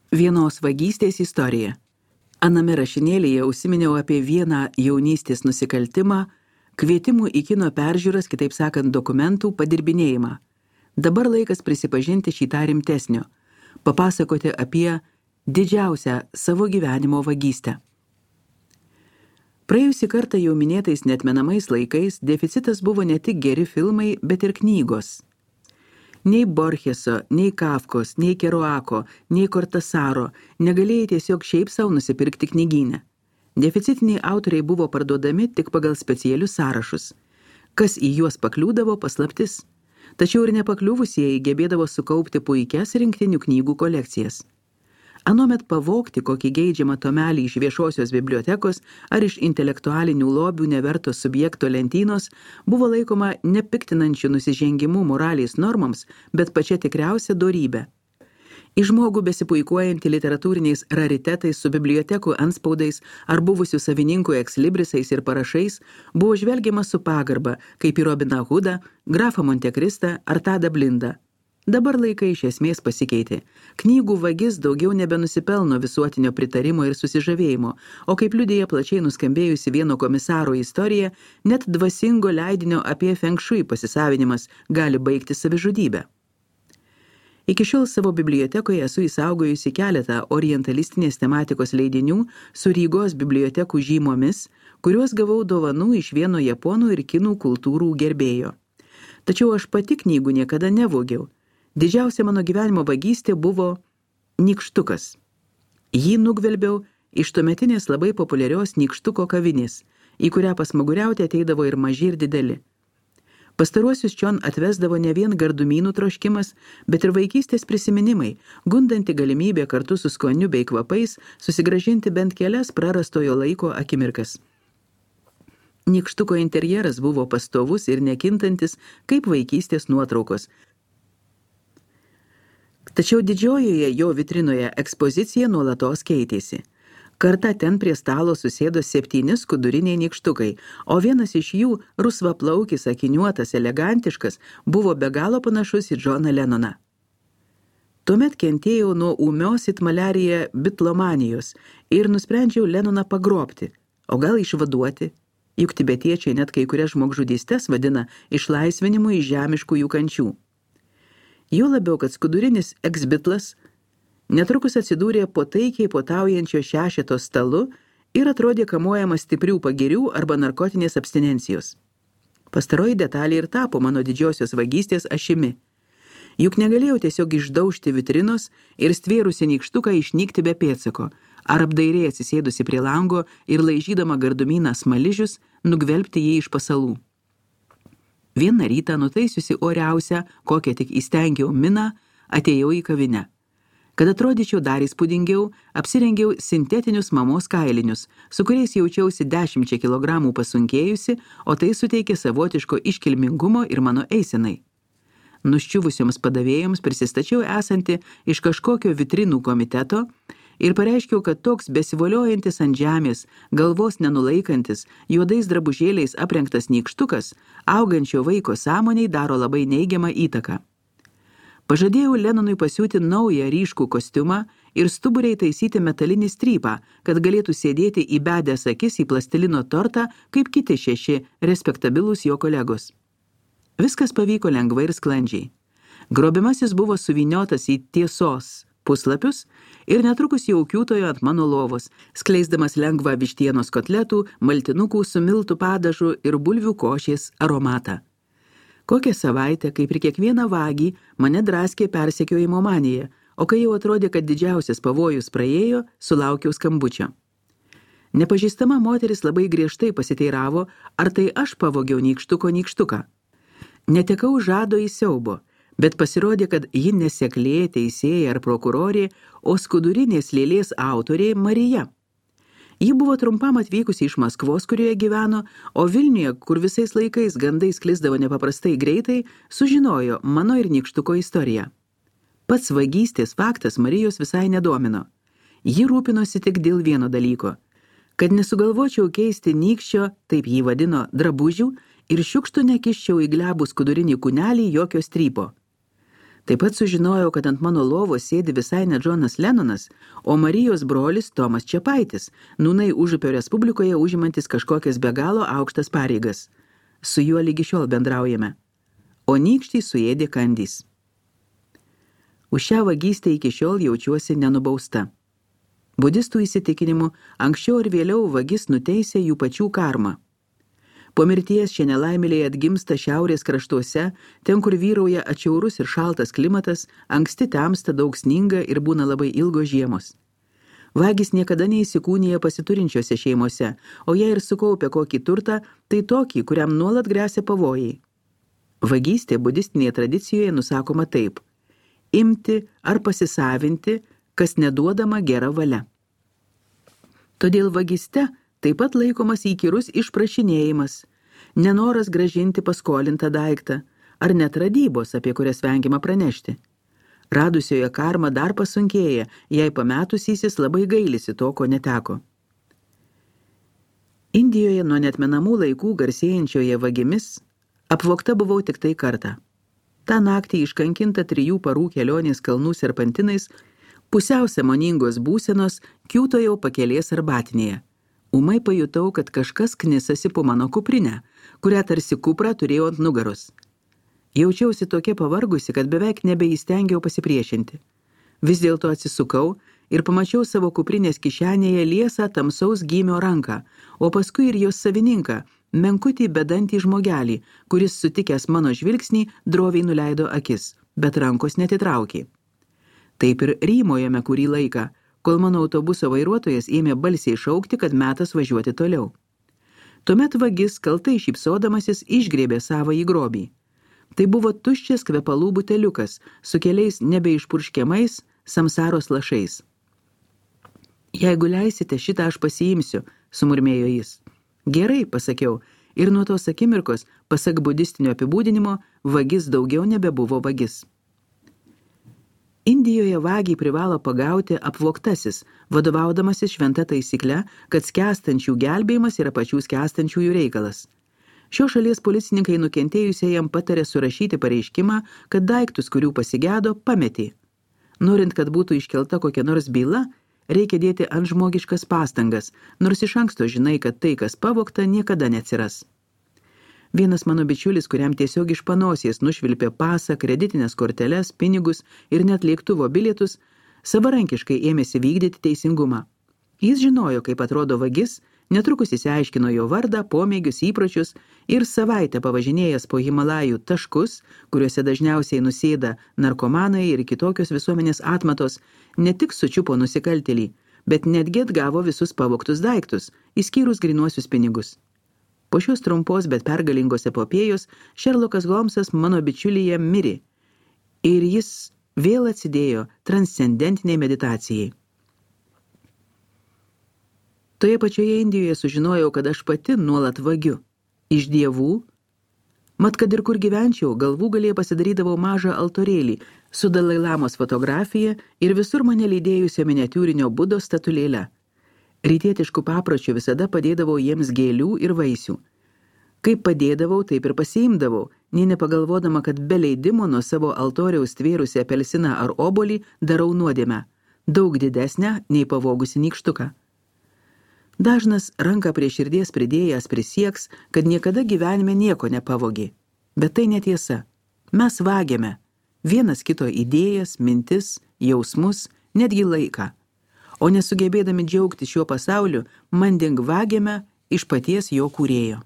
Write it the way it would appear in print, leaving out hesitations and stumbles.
Vienos vagystės istorija. Aname rašinėlyje užsiminiau apie vieną jaunystės nusikaltimą, kvietimų į kino peržiūras, kitaip sakant, dokumentų padirbinėjimą. Dabar laikas prisipažinti šį tą rimtesnio, papasakoti apie didžiausią savo gyvenimo vagystę. Praėjusį kartą jau minėtais neatmenamais laikais deficitas buvo ne tik geri filmai, bet ir knygos. Nei Borcheso, nei Kafkos, nei Kerouako, nei Kortasaro negalėjai tiesiog šiaip savo nusipirkti knygyne. Deficitiniai autoriai buvo parduodami tik pagal specialius sąrašus. Kas į juos pakliūdavo, paslaptis. Tačiau ir nepakliuvusieji gebėdavo sukaupti puikias rinktinių knygų kolekcijas. Anuomet pavogti kokį geidžiamą tomelį iš viešosios bibliotekos ar iš intelektualinių lobių neverto subjekto lentynos buvo laikoma nepiktinančių nusižengimų moralės normoms, bet pačia tikriausia dorybė. Į žmogų besipuikuojantį literatūriniais raritetais su bibliotekų antspaudais ar buvusių savininkų ekslibrisais ir parašais buvo žvelgiama su pagarba, kaip į Robiną Hoodą, grafą Montekristą ar Tadą Blindą. Dabar laikai iš esmės pasikeitė. Knygų vagis daugiau nebenusipelno visuotinio pritarimo ir susižavėjimo, o kaip liudija plačiai nuskambėjusi vieno komisaro istorija, net dvasingo leidinio apie Feng Shui pasisavinimas gali baigti savižudybę. Iki šiol savo bibliotekoje esu įsaugojusi keletą orientalistinės tematikos leidinių su Rygos bibliotekų žymomis, kuriuos gavau dovanų iš vieno japonų ir kinų kultūrų gerbėjo. Tačiau aš pati knygų niekada nevogiau. Didžiausia mano gyvenimo vagystė buvo nykštukas. Jį nugvelbiau iš tuometinės labai populiarios nykštuko kavinės, į kurią pasmaguriauti ateidavo ir maži ir dideli. Pastaruosius čion atvesdavo ne vien gardumynų troškimas, bet ir vaikystės prisiminimai, gundanti galimybė kartu su skoniu bei kvapais susigrąžinti bent kelias prarastojo laiko akimirkas. Nykštuko interjeras buvo pastovus ir nekintantis kaip vaikystės nuotraukos. Tačiau didžiojoje jo vitrinoje ekspozicija nuolatos keitėsi. Kartą ten prie stalo susėdo 7 skuduriniai nykštukai, o vienas iš jų, rusvaplaukis, akiniuotas, elegantiškas, buvo be galo panašus į Džoną Lennoną. Tuomet kentėjau nuo ūmios it maliarija bitlomanijos ir nusprendžiau Lennoną pagrobti, o gal išvaduoti, juk tibetiečiai net kai kurias žmogžudystes vadina išlaisvinimu iš žemiškų jų kančių. Jo labiau, kad skudurinis eksbitlas netrukus atsidūrė po taikiai potaujančio šešeto stalu ir atrodė kamuojamas stiprių pagirių arba narkotinės abstinencijos. Pastaroji detalė ir tapo mano didžiosios vagystės ašimi. Juk negalėjau tiesiog išdaužti vitrinos ir stvėrusi nykštuką išnykti be pėdsako, ar apdairiai atsisėdusi prie lango ir laižydama gardumyną smaližius, nugvelbti jį iš pasalų. Vieną rytą nutaisiusi oriausią, kokią tik įstengiau miną, atėjau į kavinę. Kad atrodyčiau dar įspūdingiau, apsirengiau sintetinius mamos kailinius, su kuriais jaučiausi 10 kilogramų pasunkėjusi, o tai suteikė savotiško iškilmingumo ir mano eisenai. Nuščiuvusioms padavėjoms prisistačiau esanti iš kažkokio vitrinų komiteto ir pareiškiau, kad toks besivoliojantis ant žemės, galvos nenulaikantis, juodais drabužėliais aprengtas nykštukas, augančio vaiko sąmoniai daro labai neigiamą įtaką. Pažadėjau Lennonui pasiūti naują ryškų kostiumą ir stuburiai taisyti metalinį strypą, kad galėtų sėdėti įbedęs akis į plastilino tortą, kaip kiti 6 respektabilūs jo kolegos. Viskas pavyko lengvai ir sklandžiai. Grobimasis buvo suvyniotas į tiesos puslapius ir netrukus jau kiūtojo ant mano lovos, skleisdamas lengvą vištienos kotletų, maltinukų su miltų padažu ir bulvių košės aromatą. Kokią savaitę, kaip ir kiekvieną vagį, mane draskė persekiojimo manija, o kai jau atrodė, kad didžiausias pavojus praėjo, sulaukiau skambučio. Nepažįstama moteris labai griežtai pasiteiravo, ar tai aš pavogiau nykštuką. Netekau žado į siaubo, bet pasirodė, kad ji neseklė, teisėja ar prokurorė, o skudurinės lėlės autorė Marija. Ji buvo trumpam atvykusi iš Maskvos, kurioje gyveno, o Vilniuje, kur visais laikais gandai sklisdavo nepaprastai greitai, sužinojo mano ir nykštuko istoriją. Pats vagystės faktas Marijos visai nedomino. Ji rūpinosi tik dėl vieno dalyko, kad nesugalvočiau keisti nykščio, taip jį vadino, drabužių ir šiukštų nekiščiau į glebų skudurinį kūnelį jokio strypo. Taip pat sužinojau, kad ant mano lovos sėdi visai ne Džonas Lennonas, o Marijos brolis Tomas Čepaitis, nūnai Užupio Respublikoje užimantis kažkokias be galo aukštas pareigas. Su juo lygi šiol bendraujame. O nykštį suėdė kandys. Už šią vagystę iki šiol jaučiuosi nenubausta. Budistų įsitikinimu, anksčiau ir vėliau vagis nuteisė jų pačių karmą. Po mirties šie nelaimėliai atgimsta šiaurės kraštuose, ten, kur vyrauja atšiaurus ir šaltas klimatas, anksti temsta, daug sninga ir būna labai ilgos žiemos. Vagis niekada neįsikūnija pasiturinčiose šeimose, o jei ir sukaupia kokį turtą, tai tokį, kuriam nuolat gresia pavojai. Vagystė budistinėje tradicijoje nusakoma taip: imti ar pasisavinti, kas neduodama gera valia. Todėl vagyste taip pat laikomas įkyrus išprašinėjimas, nenoras gražinti paskolintą daiktą, ar net radybos, apie kurias vengiama pranešti. Radusioje karma dar pasunkėja, jei pametusysis labai gailisi to, ko neteko. Indijoje nuo netmenamų laikų garsėjančioje vagimis apvogta buvau tik tai kartą. Ta naktį iškankinta 3 parų kelionės kalnų serpantinais, pusiau sąmoningos būsenos kiūtojau pakelės arbatinėje. Ūmai pajutau, kad kažkas knisasi po mano kuprinę, kurią tarsi kuprą turėjau ant nugaros. Jaučiausi tokia pavargusi, kad beveik nebeįstengiau pasipriešinti. Vis dėlto atsisukau ir pamačiau savo kuprinės kišenėje liesą tamsaus gymio ranką, o paskui ir jos savininką, menkutį bedantį žmogelį, kuris sutikęs mano žvilgsnį droviai nuleido akis, bet rankos netitraukė. Taip ir rymojame kurį laiką, kol mano autobuso vairuotojas ėmė balsiai šaukti, kad metas važiuoti toliau. Tuomet vagis kaltai šypsodamasis išgrėbė savąjį grobį. Tai buvo tuščias kvepalų buteliukas su keliais nebeišpurškiamais samsaros lašais. Jeigu leisite, šitą aš pasiimsiu, sumurmėjo jis. Gerai, pasakiau, ir nuo tos akimirkos, pasak budistinio apibūdinimo, vagis daugiau nebebuvo vagis. Indijoje vagį privalo pagauti apvogtasis, vadovaudamasis šventa taisykle, kad skęstančių gelbėjimas yra pačių skęstančiųjų reikalas. Šios šalies policininkai nukentėjusiajam patarė surašyti pareiškimą, kad daiktus, kurių pasigedo, pametė. Norint, kad būtų iškelta kokia nors byla, reikia dėti ant žmogiškas pastangas, nors iš anksto žinai, kad tai, kas pavogta, niekada neatsiras. Vienas mano bičiulis, kuriam tiesiog iš panosės nušvilpė pasą, kreditinės korteles, pinigus ir net lėktuvo bilietus, savarankiškai ėmėsi vykdyti teisingumą. Jis žinojo, kaip atrodo vagis, netrukus išsiaiškino jo vardą, pomėgius, įpročius ir savaitę pavažinėjęs po Himalajų taškus, kuriuose dažniausiai nusėda narkomanai ir kitokios visuomenės atmatos, ne tik sučiupo nusikaltėlį, bet netgi atgavo visus pavogtus daiktus, išskyrus grynuosius pinigus. Po šios trumpos, bet pergalingos epopėjos, Šerlokas Holmsas mano bičiulyje mirė ir jis vėl atsidėjo transcendentiniai meditacijai. Toje pačioje Indijoje sužinojau, kad aš pati nuolat vagiu. Iš dievų, mat kad ir kur gyvenčiau, galvų galėje pasidarydavau mažą altorėlį su Dalai Lamos fotografija ir visur mane lydėjusio miniatiūrinio Budos statulėle. Rytietiškų papročių visada padėdavau jiems gėlių ir vaisių. Kaip padėdavau, taip ir pasiimdavau, nei nepagalvodama, kad be leidimo nuo savo altoriaus tvėrusi apelsiną ar obolį darau nuodėmę, daug didesnę nei pavogusi nykštuką. Dažnas ranką prie širdies pridėjęs prisieks, kad niekada gyvenime nieko nepavogė. Bet tai netiesa. Mes vagiame vienas kito idėjas, mintis, jausmus, netgi laiką. O nesugebėdami džiaugti šiuo pasauliu, manding vagiame iš paties jo kūrėjo.